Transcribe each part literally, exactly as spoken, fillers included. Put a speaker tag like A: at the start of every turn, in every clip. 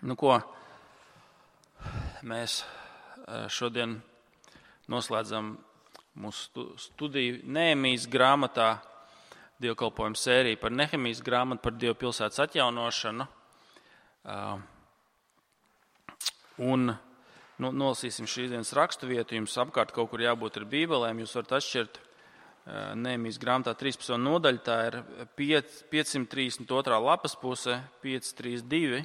A: Nu ko, mēs šodien noslēdzam mūsu studiju Nehemijas grāmatā, dievkalpojumu sēriju par Nehemijas grāmatu, par Dieva pilsētas atjaunošanu. Un nu, nolasīsim šīs dienas raksturvietu. Jums apkārt kaut kur jābūt ar bībelēm. Jūs varat atšķirt Nehemijas grāmatā trīspadsmitā nodaļa. Tā ir piecsimt trīsdesmit otrā lapas puse, pieci trīsdesmit divi.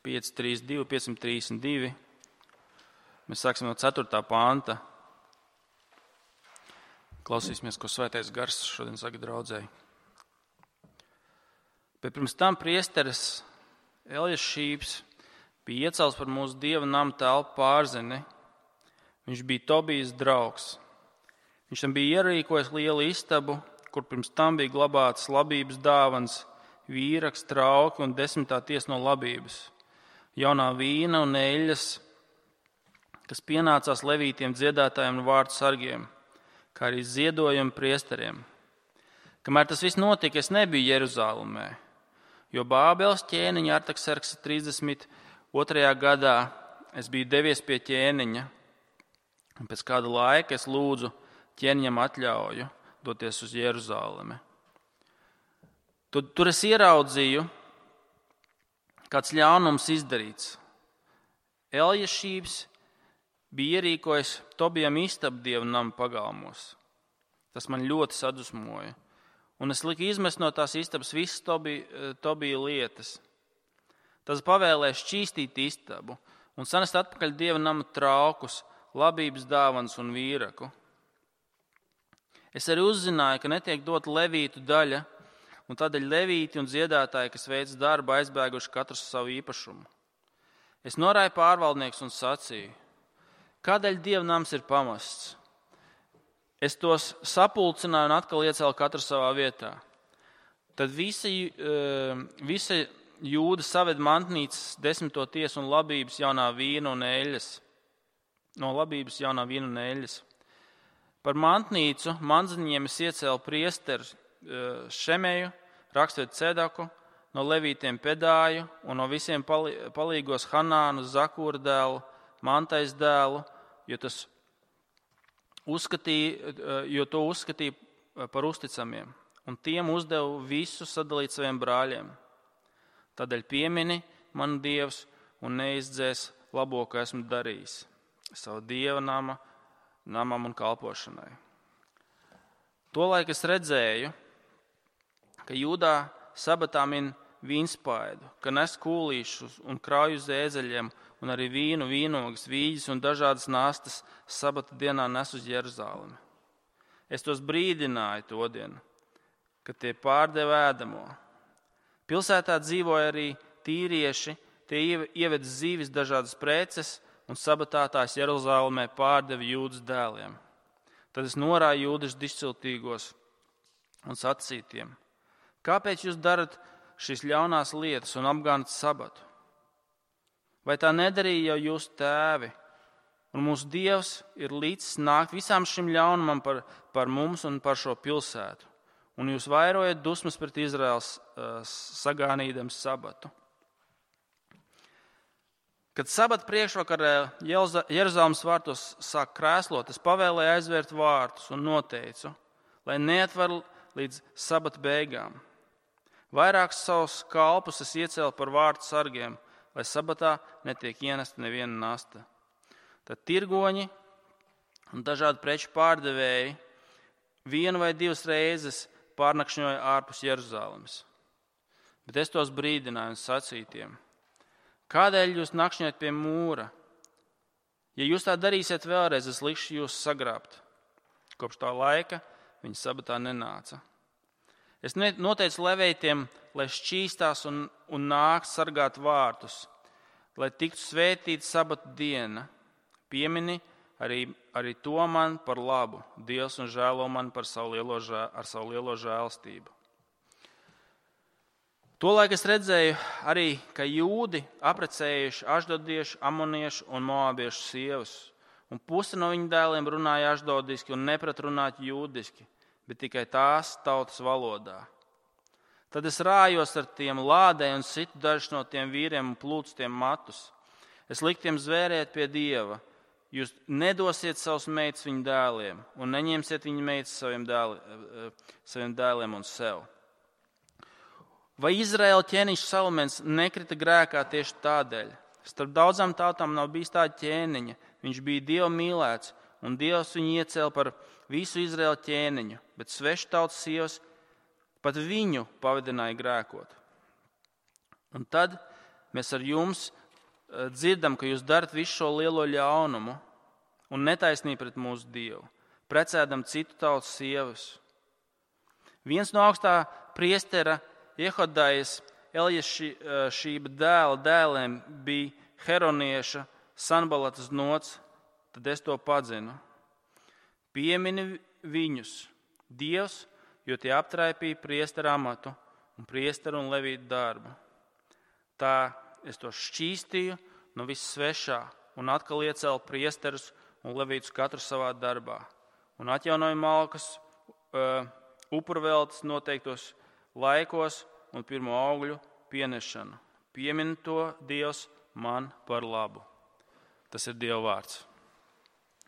A: pieci trīsdesmit divi, piecsimt trīsdesmit divi. Mēs sāksim no ceturtā panta. Klausīsimies, ko Svētais Gars šodien saka draudzēji. Bet pirms tam priesteris Eljašības bija iecelts par mūsu Dieva nama telpu pārzini. Viņš bija Tobijas draugs. Viņš tam bija ierīkojis lielu istabu, kur pirms tam bija glabātas labības dāvans, vīraks, trauki un desmitā tiesa no labības, jaunā vīna un eļļas, kas pienācās levītiem dziedātājiem un vārtu sargiem, kā arī ziedojumi priesteriem. Kamēr tas viss notika, es nebiju Jeruzālēmē, jo Bābeles ķēniņa Artakserksa trīsdesmit otrajā gadā es biju devies pie ķēniņa, un pēc kāda laika es lūdzu ķēniņam atļauju doties uz Jeruzālemi. Tur, tur es ieraudzīju, kāds ļaunums izdarīts. Eljašības bija ierīkojis Tobijam istabu Dieva nama pagalmos. Tas man ļoti sadusmoja. Un es liku izmest no tās istabas visas Tobija, Tobija lietas. Tas pavēlēja šķīstīt istabu un sanest atpakaļ Dieva nama traukus, labības dāvans un vīraku. Es arī uzzināju, ka netiek dot levītu daļa, un tādēļ levīti un dziedātāji, kas veic darbu, aizbēguši katrs savu īpašumu. Es norāju pārvaldnieks un sacīju, kādēļ Dieva nams ir pamests? Es tos sapulcināju un atkal iecēlu katru savā vietā. Tad visa, visa Jūda saved mantnīcas desmito tiesu un labības jaunā vīna un eļļas. No labības jaunā vīna un eļļas. Par mantnīcu manziņiem es iecēlu priesteri Šemeju, rakstvedu Cedaku, no levītiem Pedāju un no visiem palīgos Hanānu, Zakūra dēlu, Mantais dēlu, jo, tas uzskatīja, jo to uzskatīja par uzticamiem, un tiem uzdevu visu sadalīt saviem brāļiem. Tādēļ piemini manu Dievs un neizdzēs labo, ko esmu darījis savu Dieva nama, namam un kalpošanai. Tolaik es redzēju, ka Jūdā sabatā min vīnspaidu, ka nes kūlīšus un krauju zēzeļiem un arī vīnu, vīnogas, vīģis un dažādas nastas sabata dienā nes uz Jeruzālemi. Es tos brīdināju to dienu, kad tie pārdeva ēdamo. Pilsētā dzīvoja arī tīrieši, tie ieveda zīvis dažādas preces un sabatā tās Jeruzālemē pārdeva Jūdas dēliem. Tad es norāju jūdašu dižciltīgos un sacītiem, kāpēc jūs darat šīs ļaunās lietas un apgānat sabatu? Vai tā nedarīja jau jūsu tēvi? Un mūsu Dievs ir līdzis nākt visām šim ļaunumam par, par mums un par šo pilsētu. Un jūs vairojat dusmas pret Izraels uh, sagānīdams sabatu. Kad sabata priekšvakarē Jeruzalemes vārtos sāk krēslot, es pavēlēju aizvērt vārtus un noteicu, lai neatver līdz sabata beigām. Vairākus savus kalpus es iecēlu par vārtu sargiem, lai sabatā netiek ienesta neviena nasta. Tad tirgoņi un dažādi preču pārdevēji vienu vai divas reizes pārnakšņoja ārpus Jeruzalemes. Bet es tos brīdināju un sacītiem, kādēļ jūs nakšņojat pie mūra? Ja jūs tā darīsiet vēlreiz, es likšu jūs sagrābt. Kopš tā laika viņi sabatā nenāca. Es noteicu levītiem, lai šķīstās un, un nāk sargāt vārtus, lai tiktu svētīta sabata diena. Piemini arī, arī to man par labu, Dievs un žēlo man par savu lielo, žēl, ar savu lielo žēlstību. Tolaik es redzēju arī, ka jūdi aprecējuši ašdodiešu, amoniešu un moābiešu sievas, un puse no viņu dēliem runāja ašdodiski un neprat runāt jūdiski, bet tikai tās tautas valodā. Tad es rājos ar tiem lādē un situ dažus no tiem vīriem un plūcu tiem matus. Es liku tiem zvērēt pie Dieva. Jūs nedosiet savus meitas viņu dēliem un neņemsiet viņu meitas saviem, dēli, saviem dēliem un sev. Vai Izraēla ķēniņš Salamens nekrita grēkā tieši tādēļ? Starp daudzām tautām nav bijis tāda ķēniņa. Viņš bija Dieva mīlēts, un Dievs viņu iecēla par visu Izraēla ķēniņu, bet svešu tautas sievas pat viņu pavadināja grēkot. Un tad mēs ar jums dzirdam, ka jūs darat visu šo lielo ļaunumu un netaisnību pret mūsu Dievu, precēdam citu tautas sievas. Viens no augstā priestera Jehodajas Eljašība dēla dēliem bija Heronieša Sanbalatas nots, tad es to padzinu. Piemini viņus, Dievs, jo tie aptraipīja priestera amatu un priesteru un levītu darbu. Tā es to šķīstīju no viss svešā un atkal iecēlu priesterus un levītus katru savā darbā. Un atjaunoju malkas uh, upurveltes noteiktos laikos un pirmo augļu pienešanu. Piemin to Dievs man par labu. Tas ir Dieva vārds.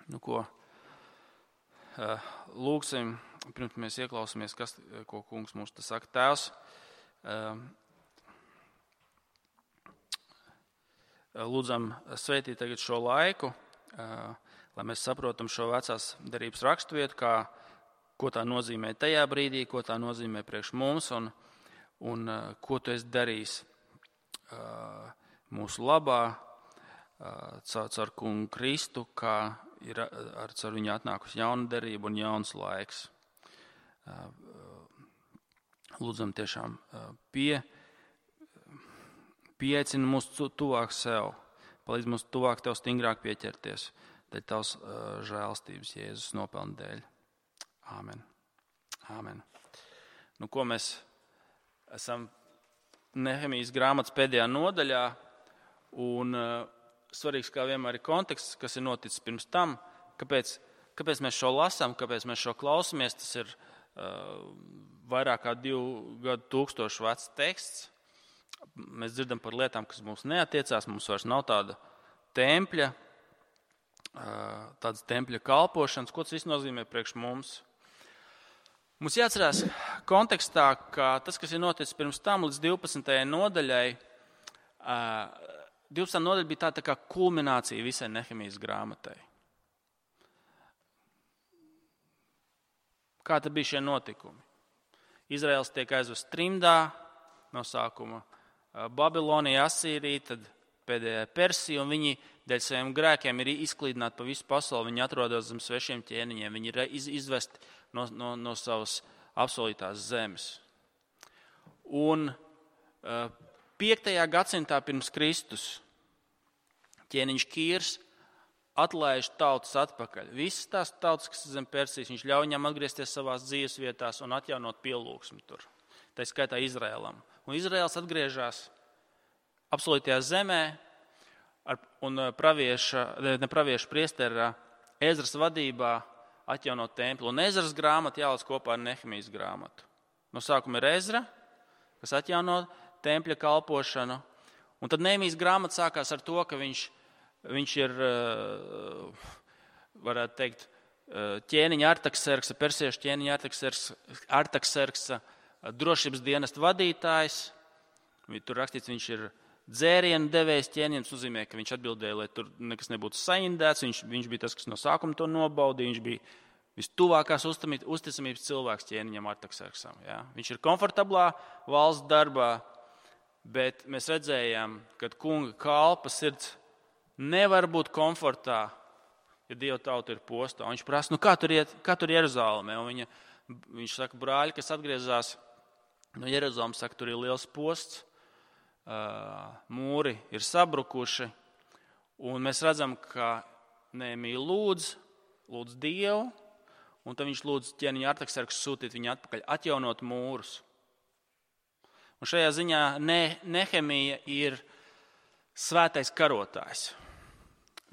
A: Nu ko, uh, lūgsim, pirms mēs ieklausāmies, kas, ko kungs mums te saka. Tēvs, uh, lūdzam svētīt tagad šo laiku, lai mēs saprotam šo vecās derības raksturvietu, kā, ko tā nozīmē tajā brīdī, ko tā nozīmē priekš mums un, un ko tu esi darījis mūsu labā caur, caur kungu Kristu, kā ir ar caur viņu atnākusi jauna derība un jauns laiks. Lūdzam tiešām pie Pieaicina mūs tuvāk sev, palīdz mums tuvāk tev stingrāk pieķerties, dēļ tavs uh, žēlstības Jēzus nopelna dēļ. Āmen. Āmen. Nu, ko mēs esam Nehemijas grāmatas pēdējā nodaļā, un uh, svarīgs kā vienmēr ir konteksts, kas ir noticis pirms tam, kāpēc, kāpēc mēs šo lasām, kāpēc mēs šo klausamies, tas ir uh, vairāk kā divu gadu tūkstošu vecs teksts. Mēs dzirdam par lietām, kas mums neatiecās, mums vairs nav tāda tempļa, tādas tempļa kalpošanas. Ko tas viss nozīmē priekš mums? Mums jāatcerās kontekstā, ka tas, kas ir noticis pirms tam līdz divpadsmitajai nodaļai, divpadsmitā nodaļa bija tā, tā kā kulminācija visai Nehemijas grāmatai. Kā tad bija šie notikumi? Izraels tiek aizvests trimdā no sākuma. Babilonija, Asīrija, tad pēdējā Persija, un viņi dēļ saviem grēkiem ir izklīdināti pa visu pasauli. Viņi atrodas zem svešiem ķēniņiem, viņi ir izvesti no, no, no savas apsolītās zemes. Un piektajā gadsimtā pirms Kristus ķēniņš Kīrs atlaiž tautas atpakaļ. Visas tās tautas, kas ir zem Persijas, viņš ļauj viņām atgriezties savās dzīves vietās un atjaunot pielūgsmi tur. Tā skaitā Izraēlam. Un Izraēls atgriežas apsolītajā zemē ar, un pravieša, ne pravieša priestera Ezras vadībā atjaunot templi. Un Ezras grāmata jāliec kopā ar Nehemijas grāmatu. No sākuma ir Ezra, kas atjauno tempļa kalpošanu. Un tad Nehemijas grāmata sākās ar to, ka viņš, viņš ir, varētu teikt, ķēniņa Artakserksa, persiešu ķēniņa Artakserksa, Artakserksa drošības dienesta vadītājs. Tur rakstīts, viņš ir dzērienu devējs ķēniņš, tas nozīmē, ka viņš atbildēja, lai tur nekas nebūtu saindēts. Viņš, viņš bija tas, kas no sākuma to nobaudīja. Viņš bija vistuvākās uzticamības cilvēks ķēniņam Artakserksam. Ja? Viņš ir komfortablā valsts darbā, bet mēs redzējām, ka kunga kalpa sirds nevar būt komfortā, ja Dieva tauta ir postā. Un viņš prasa, nu kā tur iet, kā tur Jeruzālēmē? Un viņa, viņš saka, brāļi, kas atgriezās no Jeruzalemes, saka, tur ir liels posts, mūri ir sabrukuši, un mēs redzam, ka Nehemija lūdz, lūdz Dievu, un tad viņš lūdz ķēniņa Artakserksu sūtīt viņu atpakaļ, atjaunot mūrus. Un šajā ziņā ne, Nehemija ir svētais karotājs.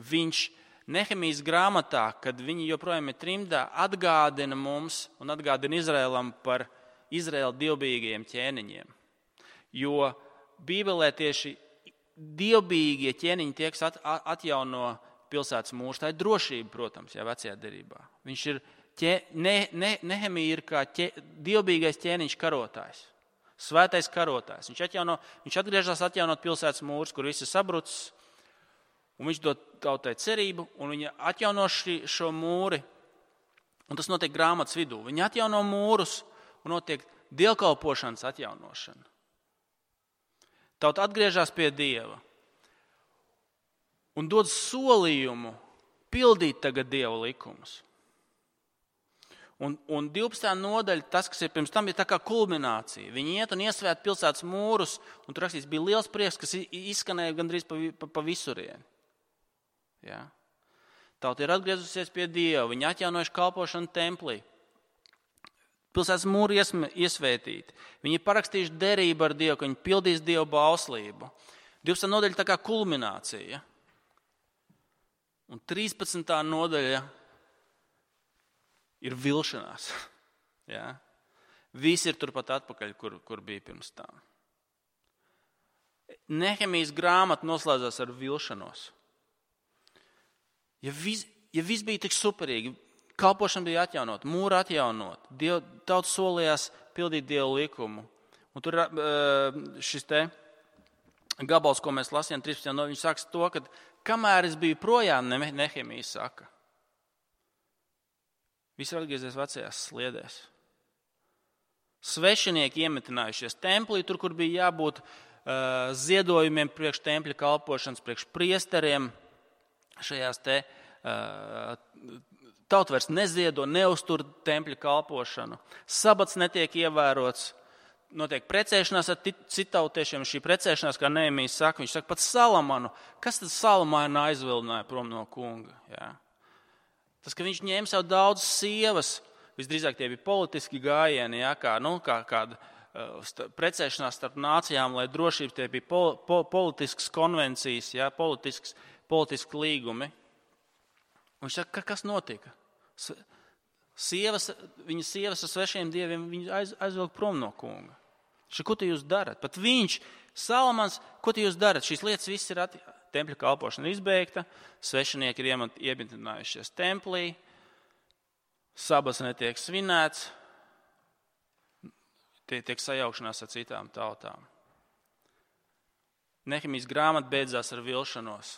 A: Viņš Nehemijas grāmatā, kad viņi joprojām ir trimdā, atgādina mums un atgādina Izraēlam par Izraēla dievbijīgajiem ķēniņiem. Jo Bībelē tieši dievbijīgie ķēniņi tiek atjauno pilsētas mūrs. Tā ir drošība, protams, jā, vecajā derībā. Viņš ir, ķē, ne, ne, Nehemija ir kā ķē, dievbijīgais ķēniņš karotājs, svētais karotājs. Viņš, atjauno, viņš atgriežas atjaunot pilsētas mūrs, kur viss ir sabrucis, un viņš dod tautai cerību, un viņa atjauno ši, šo mūri, un tas notiek grāmatas vidū. Viņa atjauno mūrus, un notiek dievkalpošanas atjaunošana. Tauta atgriežas pie Dieva un dod solījumu pildīt tagad Dieva likumus. Un, un divpadsmitā nodaļa, tas, kas ir pirms tam, ir tā kā kulminācija. Viņi iet un iesvēt pilsētas mūrus, un tur rakstīts, bija liels prieks, kas izskanēja gandrīz pa, pa, pa visurieni. Ja? Tauta ir atgriezusies pie Dieva, viņi atjaunojuši kalpošanu templī. Pilsētas mūri iesvētīti. Viņi ir parakstījuši derību ar Dievu, ka viņi pildīs Dievu bauslību. divpadsmitā nodaļa tā kā kulminācija. Un trīspadsmitā nodaļa ir vilšanās. Ja? Visi ir turpat atpakaļ, kur, kur bija pirms tam. Nehemijas grāmata noslēdzās ar vilšanos. Ja viss ja vis bija tik superīgi, kalpošana bija atjaunot, mūra atjaunot, Diev, tauta solījās pildīt Dievu likumu. Un tur šis te gabals, ko mēs lasījām trīspadsmitā nodaļā, viņš saka to, ka kamēr es biju projām, Nehemija saka, visi ir atgriezies vecajās sliedēs. Svešinieki iemetinājušies templī, tur, kur bija jābūt uh, ziedojumiem priekš tempļa kalpošanas, priekš priesteriem, šajās te uh, tauta vairs neziedo, neuztur tempļa kalpošanu. Sabats netiek ievērots, notiek precēšanās ar citautiešiem. Šī precēšanās, kā Nehemijs saka, viņš saka pat Salamanu. Kas tad Salamanu aizvilināja prom no kunga? Jā. Tas, ka viņš ņēma sev daudz sievas, visdrīzāk tie bija politiski gājieni, jā, kā, nu, kā kāda uh, precēšanās starp nācijām, lai drošības tie bija pol, pol, politiskas konvencijas, jā, politisks, politiski līgumi. Un viņš saka, kas notika? Sievas, viņas sievas ar svešiem dieviem viņu aiz, aizvilk prom no kunga. Šo, ko te jūs darat? Pat viņš, Salamans, ko te jūs darat? Šīs lietas viss ir ati... Tempļa kalpošana izbeigta, svešinieki ir iemetinājušies templī, sabats netiek svinēts, tiek sajaukšanās ar citām tautām. Nehemijas grāmata beidzās ar vilšanos.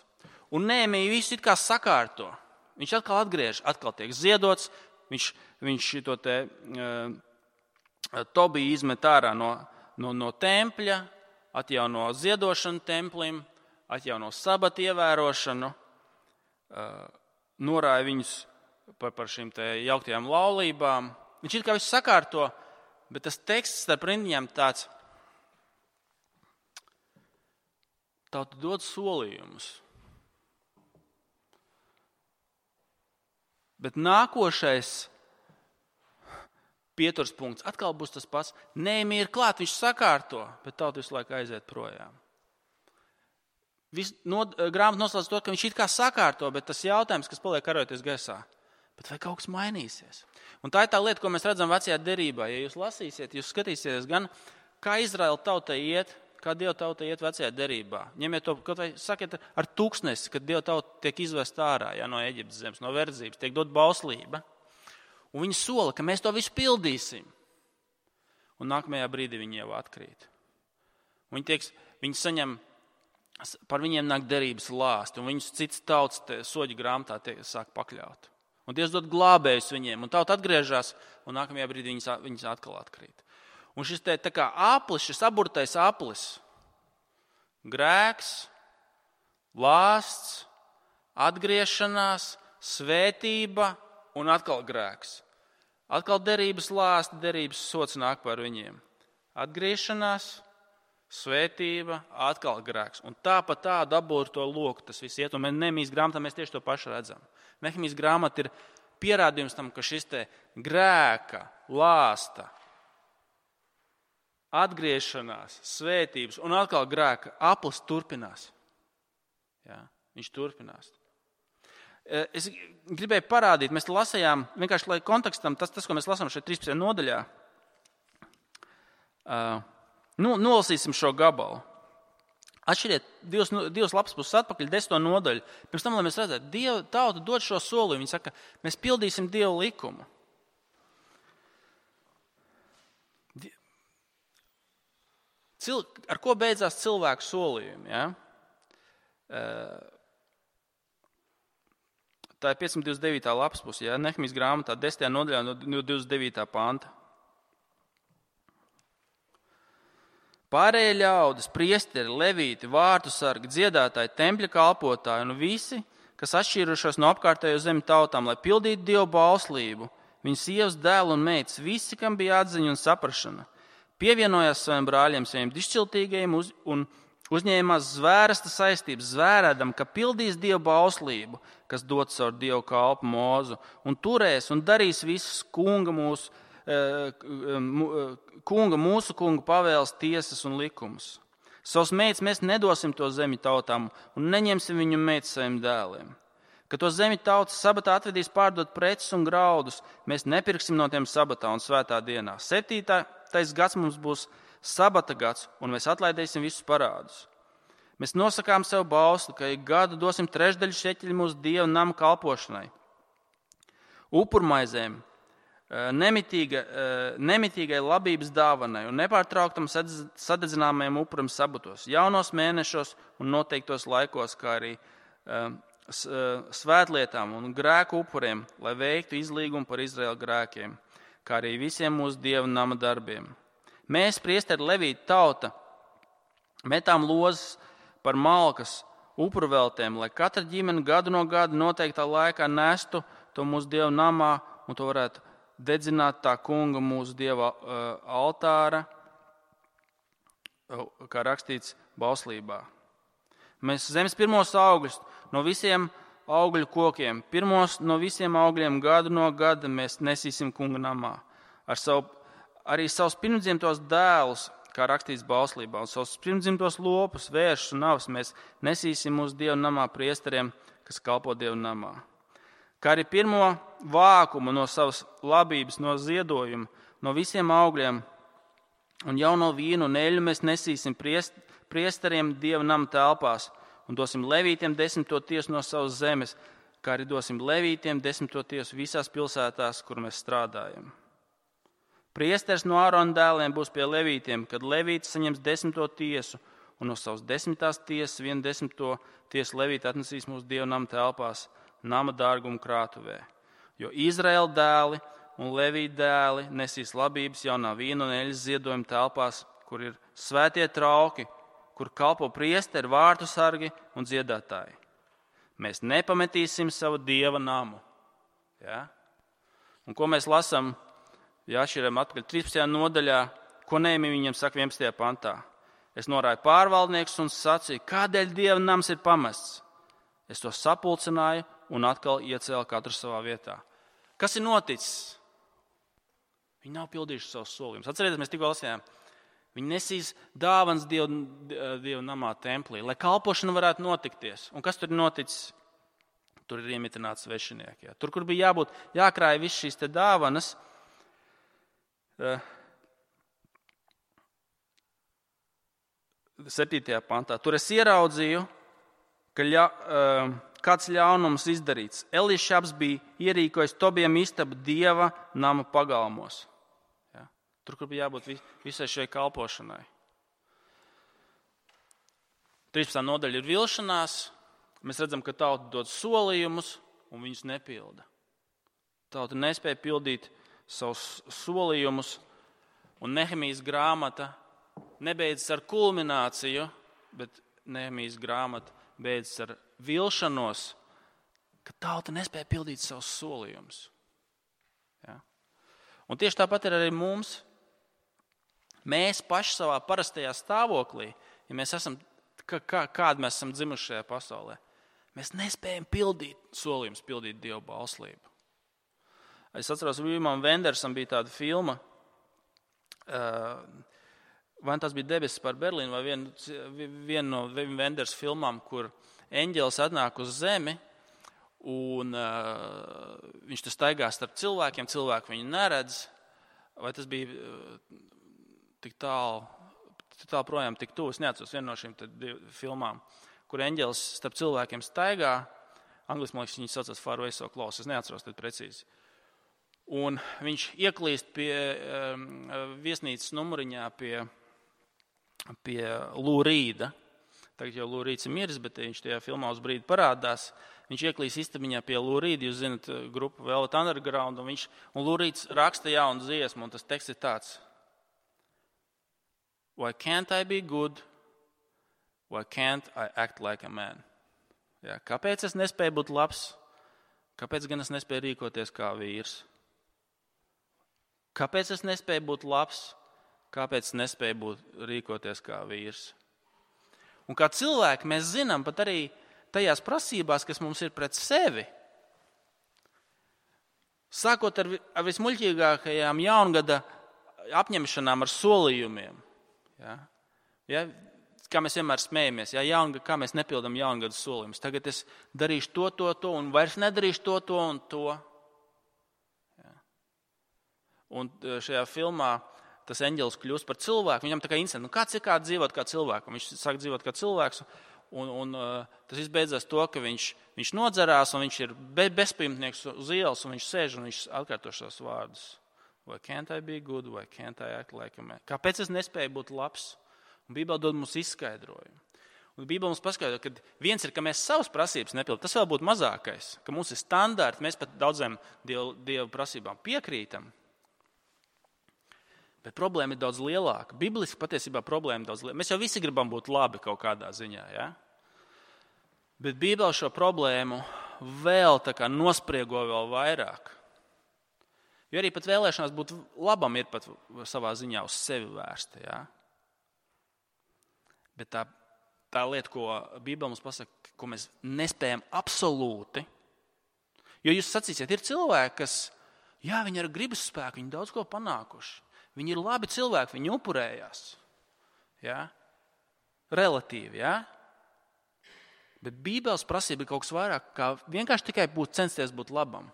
A: Un Nehemija visu it kā sakārto. Viņš atkal atgriež, atkal tiek ziedots, viņš, viņš to te uh, Tobiju izmet ārā no, no, no tempļa, atjauno ziedošanu templim, atjauno sabata ievērošanu, uh, norāja viņus par, par šīm te jauktajām laulībām. Viņš it kā visu sakārto, bet tas teksts starp rindiņām tāds, tauta dod solījumus. Bet nākošais pieturs punkts atkal būs tas pats. Nehemija ir klāt, viņš sakārto, bet tauta visu laiku aiziet projām. Vis, no, grāmata noslēdz to, ka viņš it kā sakārto, bet tas jautājums, kas paliek karojoties gaisā, bet vai kaut kas mainīsies? Un tā ir tā lieta, ko mēs redzam vecajā derībā. Ja jūs lasīsiet, jūs skatīsieties gan, kā Izraēla tauta iet, kā Dieva tauta iet vecajā derībā. Ņemiet to, kaut vai sakiet ar tūkstnesi, kad Dieva tauta tiek izvest ārā, ja, no Eģiptes zemes, no verdzības, tiek dot bauslība. Un viņi sola, ka mēs to visu pildīsim. Un nākamajā brīdī viņi jau atkrīt. Un viņi, tiek, viņi saņem, par viņiem nāk derības lāsti, un viņus cits tautas soļu grāmatā tiek, sāk pakļaut. Un Dievs dod glābējus viņiem, un tauta atgriežas, un nākamajā brīdī viņas, viņas atkal atkrīt. Un šis te tā kā aplis, šis aburtais aplis, grēks, lāsts, atgriešanās, svētība un atkal grēks. Atkal derības lāsti, derības sots nāk par viņiem. Atgriešanās, svētība, atkal grēks. Un tā pa tā dabū ar to loku tas viss iet. Un Nehemijas grāmatā mēs tieši to pašu redzam. Nehemijas grāmata ir pierādījums tam, ka šis te grēka, lāsta, atgriešanās, svētības un atkal grēka aplis turpinās. Jā, viņš turpinās. Es gribēju parādīt, mēs lasījām, vienkārši lai kontekstam, tas, tas ko mēs lasām šeit trīspadsmitajā nodaļā, Uh, nu, nolasīsim šo gabalu. Atšķiriet divas, divas lapas puses atpakaļ, desmito nodaļu. Pirms tam, lai mēs redzētu, Dieva tauta dod šo solījumu. Viņi saka, mēs pildīsim Dieva likumu. Cil, ar ko beidzās cilvēku solījumi? Ja? Tā ir piecsimt divdesmit devītā lapas puse, ja? Nehemijas grāmatā, desmitajā nodaļā no divdesmit devītā panta. Pārējie ļaudis, priesteri, levīti, vārtu sargi, dziedātāji, tempļa kalpotāji un visi, kas atšķīrušos no apkārtējo zemi tautām, lai pildītu Dievu bauslību, viņu sievas, dēlu un meitas, visi, kam bija atziņa un saprašana, pievienojās saviem brāļiem, saviem dišciltīgajiem uz, un uzņēmās zvērsta saistības, zvērēdam, ka pildīs Dievu bauslību, kas dot caur Dievu kalpu Mozu, un turēs un darīs visus kunga mūsu, kunga, mūsu kunga pavēles, tiesas un likumus. Savus meitas mēs nedosim to zemi tautām un neņemsim viņu meitas saviem dēliem. Kad to zemi tautas sabatā atvedīs pārdot preces un graudus, mēs nepirksim no tiem sabatā un svētā dienā. Septītais gads mums būs sabata gads, un mēs atlaidīsim visus parādus. Mēs nosakām sev bausli, ka ik gadu dosim trešdaļu šeķeļu mūsu Dieva nama kalpošanai. Upurmaizēm, nemitīga, nemitīgai labības dāvanai un nepārtrauktam sadedzināmajam upuram sabatos, jaunos mēnešos un noteiktos laikos, kā arī svētlietām un grēku upuriem, lai veiktu izlīgumu par Izraēla grēkiem, kā arī visiem mūsu Dieva nama darbiem. Mēs, priesteri, levīti tauta, metām lozes par malkas upurveltēm, lai katra ģimene gadu no gada noteiktā laikā nestu to mūsu Dieva namā un to varētu dedzināt tā kunga mūsu Dieva uh, altāra, uh, kā rakstīts bauslībā. Mēs zemes pirmos augļus no visiem augļu kokiem, pirmos no visiem augļiem gadu no gada mēs nesīsim kunga namā. Ar savu, arī savus pirmdzimtos dēlus, kā rakstīts bauslībā, un savus pirmdzimtos lopus, vēršus un avus mēs nesīsim mūsu Dieva namā priesteriem, kas kalpo Dieva namā. Kā arī pirmo vākumu no savas labības, no ziedojuma, no visiem augļiem un jauno vīnu un eļu mēs nesīsim priest, priesteriem Dieva nama telpās un dosim levītiem desmito tiesu no savas zemes, kā arī dosim levītiem desmito tiesu visās pilsētās, kur mēs strādājam. Priesteris no Ārona dēliem būs pie levītiem, kad levītis saņems desmito tiesu un no savas desmitās tiesas vienu desmito tiesu levīti atnesīs mūsu Dieva nama telpās, nama dārgumu krātuvē, jo Izraēla dēli un Levīti dēli nesīs labības jaunā vīna un eļas ziedojuma telpās, kur ir svētie trauki, kur kalpo priesteri, vārtu sargi un dziedātāji. Mēs nepametīsim savu Dieva namu. Ja? Un ko mēs lasām, ja atšķiram atpakaļ trīspadsmitajā nodaļā, ko Nehemija viņam saka vienpadsmitajā pantā. Es norāju pārvaldniekus un sacīju, kādēļ Dieva nams ir pamests. Es to sapulcināju un atkal iecēla katru savā vietā. Kas ir noticis? Viņi nav pildījuši savus solījumus. Atcerieties, mēs tikko lasījām. Viņi nesīs dāvanas Dieva, Dieva namā templī, lai kalpošana varētu notikties. Un kas tur ir noticis? Tur ir iemitināti svešinieki. Ja. Tur, kur bija jābūt, jākrāja viss šīs te dāvanas, septītajā pantā. Tur es ieraudzīju, ka ļa, kāds ļaunums izdarīts. Elišabs bija ierīkojis Tobijam istabu Dieva nama pagalmos. Ja? Tur, kur bija jābūt visai šai kalpošanai. trīspadsmitā nodaļa ir vilšanās. Mēs redzam, ka tauta dod solījumus un viņus nepilda. Tauta nespēja pildīt savus solījumus, un Nehemijas grāmata nebeidzas ar kulmināciju, bet Nehemijas grāmata beidzas ar vilšanos, ka tauta nespēja pildīt savus solījumus. Ja? Un tieši tāpat ir arī mums. Mēs paši savā parastajā stāvoklī, ja mēs esam, kā, kādi mēs esam dzimuši šajā pasaulē, mēs nespējam pildīt solījumus, pildīt Dieva bauslību. Es atceros, Vimam Vendersam bija tāda filma, vai tas bija Debesis par Berlīnu, vai viena vien no Vim Venders filmām, kur eņģelis atnāk uz zemi, un uh, viņš tur staigā starp cilvēkiem, cilvēki viņu neredz, vai tas bija uh, tik tālu, tik tālu projām, tik tuvu. Es neatceros vienu no šīm filmām, kur eņģelis starp cilvēkiem staigā. Angliski, man liekas, viņi saucas Far Away So Close. Es neatceros tad precīzi. Un viņš ieklīst pie um, viesnīcas numuriņā pie, pie Lou Reeda. Tagad jau Lou Reeds ir miris, bet viņš tajā filmā uz brīdi parādās. Viņš ieklīst istabiņā pie Lou Reeda, jūs zinat, grupu Velvet Underground, un, viņš, un Lou Reeds raksta jaunu dziesmu, un tas teksts ir tāds. Why can't I be good? Why can't I act like a man? Jā, kāpēc es nespēju būt labs? Kāpēc gan es nespēju rīkoties kā vīrs? Kāpēc es nespēju būt labs? Kāpēc es nespēju būt, rīkoties kā vīrs? Un kā cilvēki mēs zinām pat arī tajās prasībās, kas mums ir pret sevi. Sākot ar, ar vismuļķīgākajām jaungada apņemšanām ar solījumiem. Ja? Ja? Kā mēs vienmēr smējamies, ja? Jaungad, kā mēs nepildam jaungada solījumus. Tagad es darīšu to, to, to un vairs nedarīšu to, to un to. Ja? Un šajā filmā tas eņģelis kļūst par cilvēku. Viņam tā kā interesanti, nu kāds ir kā dzīvot kā cilvēku. Viņš sāk dzīvot kā cilvēks, un, un tas viss beidzās to, ka viņš, viņš nodzerās, un viņš ir be, bezpajumtnieks uz ielas, un viņš sēž, un viņš atkārto šos vārdus. Why can't I be good? Why can't I act like a man? Kāpēc es nespēju būt labs? Un Bībele dod mums izskaidrojumu. Un Bībele mums paskaidro, ka viens ir, ka mēs savas prasības nepildām. Tas vēl būtu mazākais, ka mums ir standarti, mēs pat daudziem dievu, dievu prasībām piekrītam. Bet problēma ir daudz lielāka. Bibliski patiesībā problēma ir daudz lielāka. Mēs jau visi gribam būt labi kaut kādā ziņā. Ja? Bet Bībele šo problēmu vēl tā kā nospriego vēl vairāk. Jo arī pat vēlēšanās būt labam ir pat savā ziņā uz sevi vērsta. Ja? Bet tā, tā lieta, ko Bībele mums pasaka, ko mēs nespējam absolūti. Jo jūs sacīsiet, ir cilvēki, kas, jā, viņi ar gribas spēku, viņi daudz ko panākuši. Viņi ir labi cilvēki, viņi upurējās. Ja? Relatīvi, ja? Bet Bībeles prasība ir kaut kas vairāk, kā vienkārši tikai būt, censties būt labam.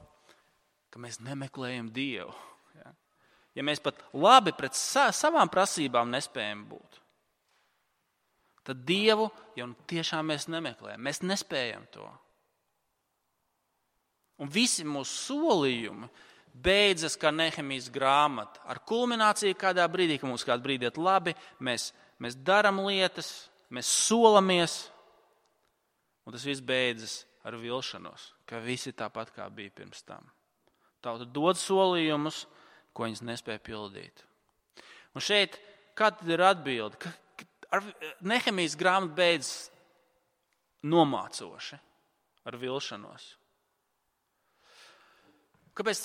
A: Ka mēs nemeklējam Dievu. Ja, ja mēs pat labi pret sa- savām prasībām nespējam būt, tad Dievu jau tiešām mēs nemeklējam. Mēs nespējam to. Un visi mūsu solījumi beidzas kā Nehemijas grāmata. Ar kulmināciju kādā brīdī, ka mums kādā brīdī iet labi, mēs, mēs darām lietas, mēs solamies, un tas viss beidzas ar vilšanos, ka visi tāpat kā bija pirms tam. Tauta dod solījumus, ko viņas nespēja pildīt. Un šeit, kāda ir atbilde? Ka, ar Nehemijas grāmata beidzas nomācoši ar vilšanos. Kāpēc,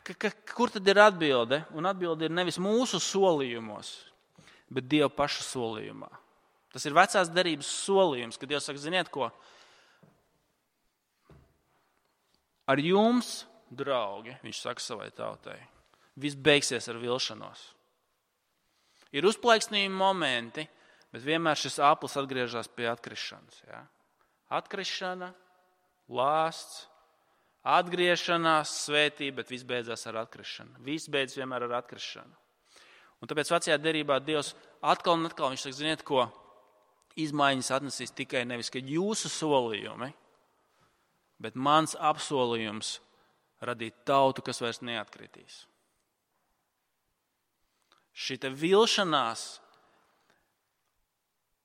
A: ka, ka, kur tad ir atbilde? Un atbilde ir nevis mūsu solījumos, bet Dieva paša solījumā. Tas ir vecās derības solījums, kad Dievs saka, ziniet ko? Ar jums, draugi, viņš saka savai tautai, viss beigsies ar vilšanos. Ir uzplaiksnījumi momenti, bet vienmēr šis āplis atgriežas pie atkrišanas. Ja? Atkrišana, lāsts, atgriešanās, svētība, bet viss beidzās ar atkrišanu. Viss beidzas vienmēr ar atkrišanu. Un tāpēc vecajā derībā Dievs atkal un atkal viņš saka, ziniet ko, izmaiņas atnesīs tikai nevis, ka jūsu solījumi, bet mans apsolījums radīt tautu, kas vairs neatkritīs. Šita vilšanās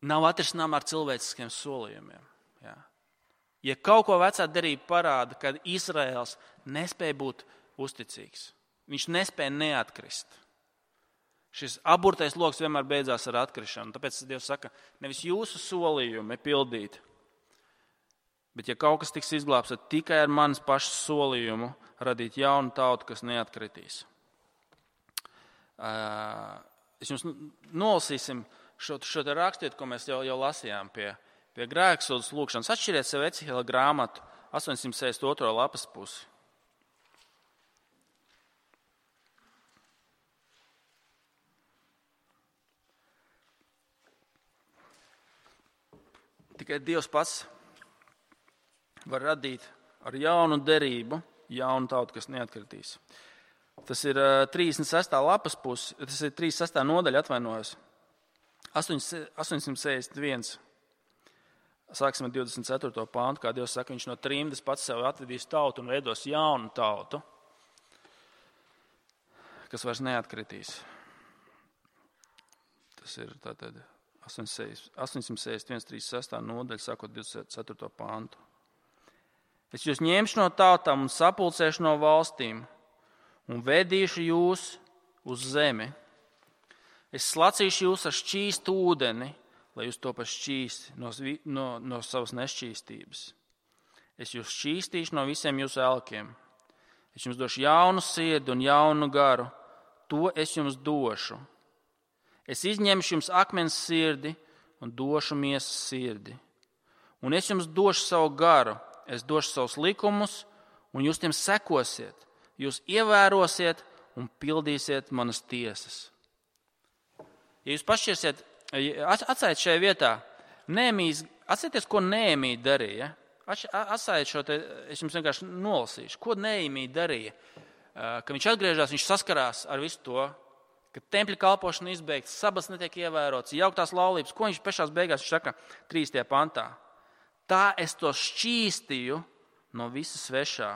A: nav atrisināma ar cilvēciskiem solījumiem. Ja? Ja kaut ko vecā derība parāda, kad Izraēls nespēja būt uzticīgs, viņš nespēja neatkrist. Šis aburtais loks vienmēr beidzās ar atkrišanu. Tāpēc Dievs saka, nevis jūsu solījumi pildīt, bet ja kaut kas tiks izglābts, tad tikai ar manas pašas solījumu radīt jaunu tautu, kas neatkritīs. Es jums nolasīsim šo, šo te rakstiet, ko mēs jau, jau lasījām pie Pie grēksūdzes lūkšanas. Atšķiriet sev Ecihela grāmatu astoņsimt sešdesmit otrā lapas pusi. Tikai Dievs pats var radīt ar jaunu derību, jaunu tautu, kas neatkritīs. Tas ir trīsdesmit sestā lapas puses, tas ir trīsdesmit sestā nodaļa, atvainojos. astoņsimt sešdesmit viens. Sāksim ar divdesmit ceturto pāntu, kā Dievs saka, viņš no trimdas pats sev atvedīs tautu un veidos jaunu tautu, kas vairs neatkritīs. Tas ir tātad astoņsimt sešdesmit viens, trīsdesmit sestā nodaļa, sākot divdesmit ceturto pāntu. Es jūs ņemšu no tautām un sapulcēšu no valstīm un vedīšu jūs uz zemi. Es slacīšu jūs ar šķīstu ūdeni, lai jūs to pašķīsti no, no, no savas nešķīstības. Es jūs šķīstīšu no visiem jūsu elkiem. Es jums došu jaunu sirdi un jaunu garu. To es jums došu. Es izņemšu jums akmens sirdi un došu miesas sirdi. Un es jums došu savu garu. Es došu savus likumus, un jūs tiem sekosiet. Jūs ievērosiet un pildīsiet manas tiesas. Ja jūs pašķirsiet, atstājiet šajā vietā, Nehemijas, atcerieties, ko Nehemija darīja. Atstājiet šo te, es jums vienkārši nolasīšu. Ko Nehemija darīja? Kad viņš atgriežas, viņš saskarās ar visu to, ka tempļa kalpošana izbeigta, sabats netiek ievērots, jauktās laulības. Ko viņš pešās beigās, viņš saka trīsdesmitajā pantā? Tā es to šķīstīju no visa svešā.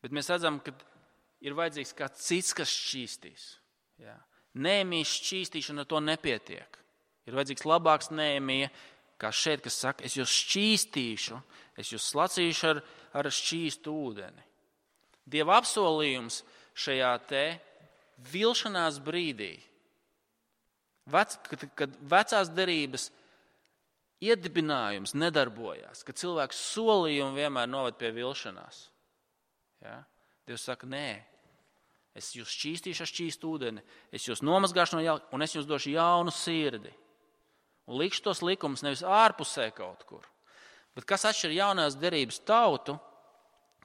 A: Bet mēs redzam, ka ir vajadzīgs kāds cits, kas šķīstīs. Jā. Nehemijas šķīstīšana to nepietiek. Ir vajadzīgs labāks Nehemija, kā šeit, kas saka, es jūs šķīstīšu, es jūs slacīšu ar, ar šķīstu ūdeni. Dieva apsolījums šajā te vilšanās brīdī, vec, kad, kad vecās derības iedibinājums nedarbojās, kad cilvēks solījumi vienmēr noved pie vilšanās. Ja? Dievs saka, nē, es jūs šķīstīšu ar šķīstu ūdeni, es jūs nomazgāšu no jauna, un es jums došu jaunu sirdi. Un likšu tos likumus nevis ārpusē kaut kur. Bet kas atšķir jaunās derības tautu,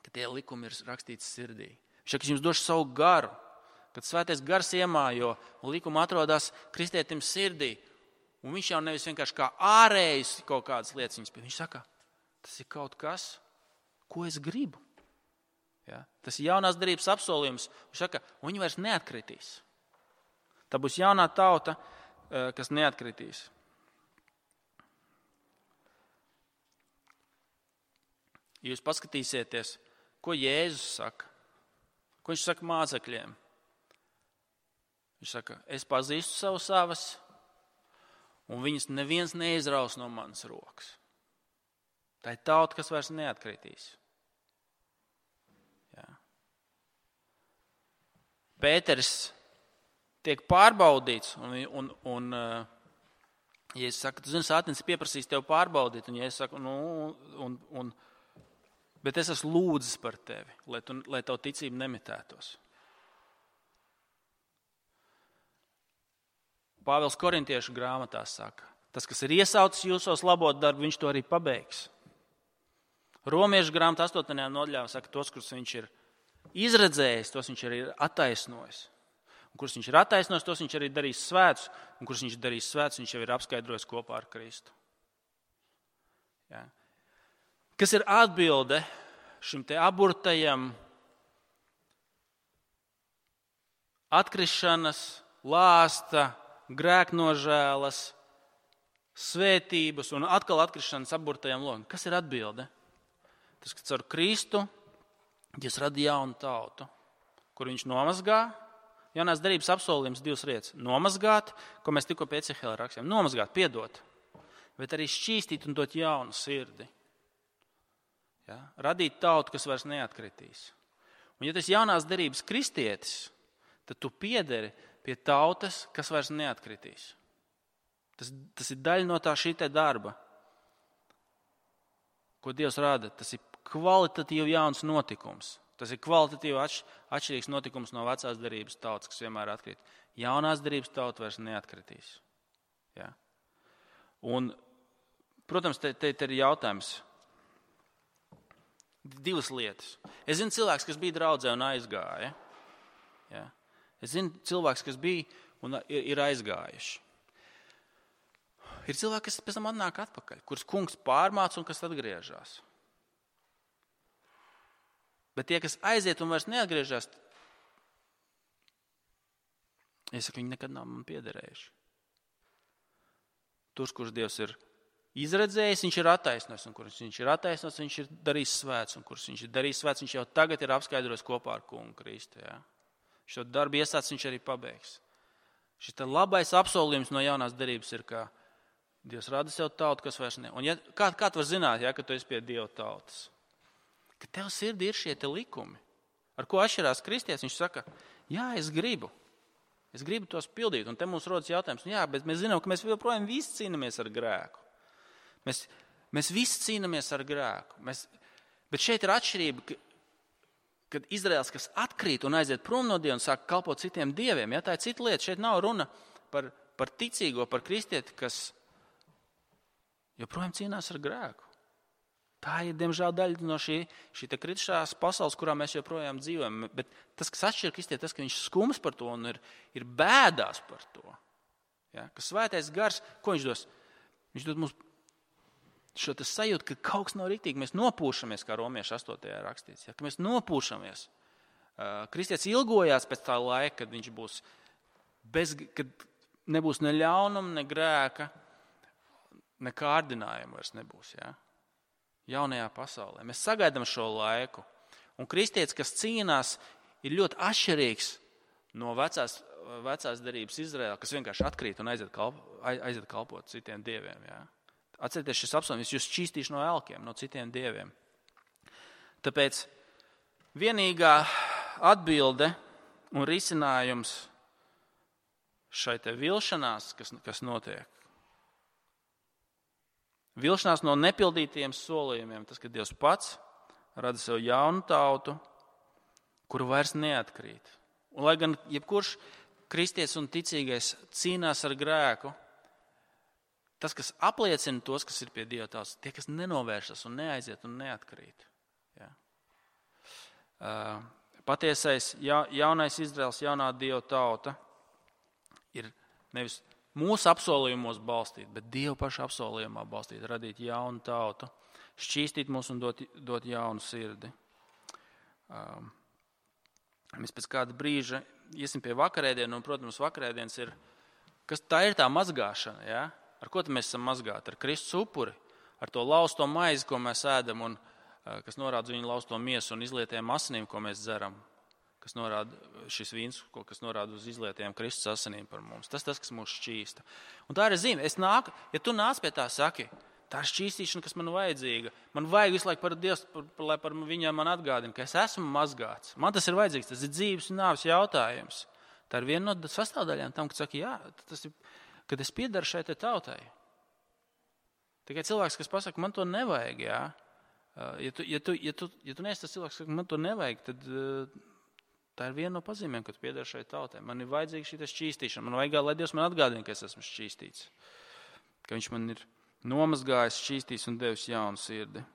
A: ka tie likumi ir rakstīti sirdī. Viņš saka, es jums došu savu garu, kad svētais gars iemājo un likumi atrodas kristietim sirdī. Un viņš jau nevis vienkārši kā ārējs kaut kādas lietas viņas pie. Viņš saka, tas ir kaut kas, ko es gribu. Ja? Tas ir jaunās derības apsolījums. Viņš saka, un viņi vairs neatkritīs. Tā būs jaunā tauta, kas neatkritīs. Ja jūs paskatīsieties, ko Jēzus saka, ko viņš saka mācekļiem. Viņš saka, es pazīstu savu savas, un viņas neviens neizraus no manas rokas. Tā ir tauta, kas vairs neatkritīs. Jā. Pēteris tiek pārbaudīts, un, un, un ja es saku, tu zini, sātnis pieprasīs tev pārbaudīt, un ja es saku, nu, un, un, bet es esmu lūdzis par tevi, lai, tu, lai tavu ticību nemitētos. Pāvils Korintiešu grāmatā saka, tas, kas ir iesaucis jūsos labot darbu, viņš to arī pabeigs. Romiešu grāmatā astotajā nodaļā saka, tos, kurus viņš ir izredzējis, tos viņš arī ir attaisnojis. Un kurus viņš ir attaisnojis, tos viņš arī darīs svētus, un kurus viņš darīs svētus, viņš jau ir apskaidrojis kopā ar Kristu. Ja. Kas ir atbilde šim te aburtajam atkrišanas, lāsta, grēknožēlas, svētības un atkal atkrišanas aburtajam logam? Kas ir atbilde? Tas, ka caur Kristu Dievs rada jaunu tautu, kur viņš nomazgā. Jaunās derības apsolījums divas lietas. Nomazgāt, ko mēs tikko pie Ecehēla rakstījām. Nomazgāt, piedot, bet arī šķīstīt un dot jaunu sirdi. Ja? Radīt tautu, kas vairs neatkritīs. Un ja tas jaunās derības kristietis, tad tu piederi pie tautas, kas vairs neatkritīs. Tas, tas ir daļa no tā šī te darba, ko Dievs rada. Tas ir kvalitatīvi jauns notikums. Tas ir kvalitatīvi atš, atšķirīgs notikums no vecās derības tautas, kas vienmēr atkrīt. Jaunās derības tauta vairs neatkritīs. Ja? Un, protams, te, te, te ir jautājums. Divas lietas. Es zinu cilvēks, kas bija draudzē un aizgāja. Ja? Es zinu cilvēks, kas bija un ir, ir aizgājuši. Ir cilvēki, kas pēc tam atnāk atpakaļ, kurus kungs pārmāca un kas atgriežas. Bet tie, kas aiziet un vairs neatgriežas, es saku, viņi nekad nav man piederējuši. Tur, kurš Dievs ir izredzējis, viņš ir attaisnojis, un kurš viņš ir attaisnojis, viņš ir darījis svēts, un kurš viņš ir darījis svēts, viņš jau tagad ir apskaidrojis kopā ar kungu Kristu. Ja? Šo darbu iesācis viņš arī pabeigs. Šis labais apsolījums no jaunās derības ir, ka Dievs rada sev tautu, kas vairs ne. Un ja, kā, kā tu var zināt, ja, ka tu esi pie Dieva tautas? Ka tev sirdī ir šie te likumi. Ar ko atšķirās kristietis? Viņš saka, jā, es gribu. Es gribu tos pildīt. Un te mums rodas jautājums, jā, bet mēs zinām, ka mēs joprojām visi cīnāmies ar grēku. Mēs, mēs visi cīnāmies ar grēku. Mēs, bet šeit ir atšķirība, ka, kad Izraels, kas atkrīt un aiziet prom no Dieva un sāk kalpot citiem dieviem, ja, tā ir cita lieta. Šeit nav runa par, par ticīgo, par kristieti, kas joprojām cīnās ar grēku. Tā ir, diemžēl, daļa no šī, šī kritušās pasaules, kurā mēs joprojām dzīvojam. Bet tas, kas atšķir kristieti, tas, ka viņš skums par to un ir, ir bēdās par to. Ja? Ka svētais gars, ko viņš dos? Viņš dod mums šo sajūtu, ka kaut kas nav riktīgi. Mēs nopūšamies, kā Romiešu astotajā rakstīts. Ja? Ka mēs nopūšamies. Kristietis ilgojās pēc tā laika, kad viņš būs bez, kad nebūs ne ļaunuma, ne grēka, ne kārdinājuma vairs nebūs. Ja? Jaunajā pasaulē. Mēs sagaidām šo laiku. Un kristietis, kas cīnās, ir ļoti atšķirīgs no vecās, vecās derības Izraēla, kas vienkārši atkrīt un aiziet, kalp, aiziet kalpot citiem dieviem. Jā. Atcerieties šis apsolījums, jūs šķīstīšu no elkiem, no citiem dieviem. Tāpēc vienīgā atbilde un risinājums šai te vilšanās, kas, kas notiek, vilšanās no nepildītiem solījumiem, tas, ka Dievs pats rada sev jaunu tautu, kuru vairs neatkrīt. Un lai gan jebkurš kristietis un ticīgais cīnās ar grēku, tas, kas apliecina tos, kas ir pie Dieva tautas, tie, kas nenovēršas un neaiziet un neatkrīt. Ja. Patiesais ja, jaunais Izraels, jaunā Dieva tauta ir nevis mūsu apsolījumos balstīt, bet Dieva paša apsolījumā balstīt, radīt jaunu tautu, šķīstīt mūs un dot, dot jaunu sirdi. Um, mēs pēc kāda brīža iesim pie vakarēdienu, un, protams, vakarēdienas ir, kas tā ir tā mazgāšana, ja? Ar ko mēs esam mazgāti? Ar Kristus upuri, ar to lausto maizi, ko mēs ēdam, un uh, kas norāda uz viņu lausto miesu un izlietiem asinīm, ko mēs dzeram. Kas norāda šis vīns, kas norāda uz izlietiem Kristus asinīm par mums. Tas tas, kas mūs šķīsta. Un tā ir zīme. Es nāku, ja tu nāc pie tā, saki, tā ir šķīstīšana, kas man vajadzīga. Man vajag visu laiku par Dievs, par, par, lai par viņam man atgādina, ka es esmu mazgāts. Man tas ir vajadzīgs, tas ir dzīves un nāves jautājums. Tā ir viena no sastāvdaļām tam, kad saka, jā, tas ir, kad es piedaru šai te tautai. Tikai cilvēks, kas pasaka, man to nevajag, jā. Ja tu, ja tu, ja tu, ja tu neesi tas cilvēks, kas man to nevajag, tad tā ir viena no pazīmēm, kad pieder šai tautai. Man ir vajadzīga šī šķīstīšana. Man vajag, lai Dievs man atgādina, ka es esmu šķīstīts. Ka viņš man ir nomazgājis, šķīstījis un devis jaunu sirdi.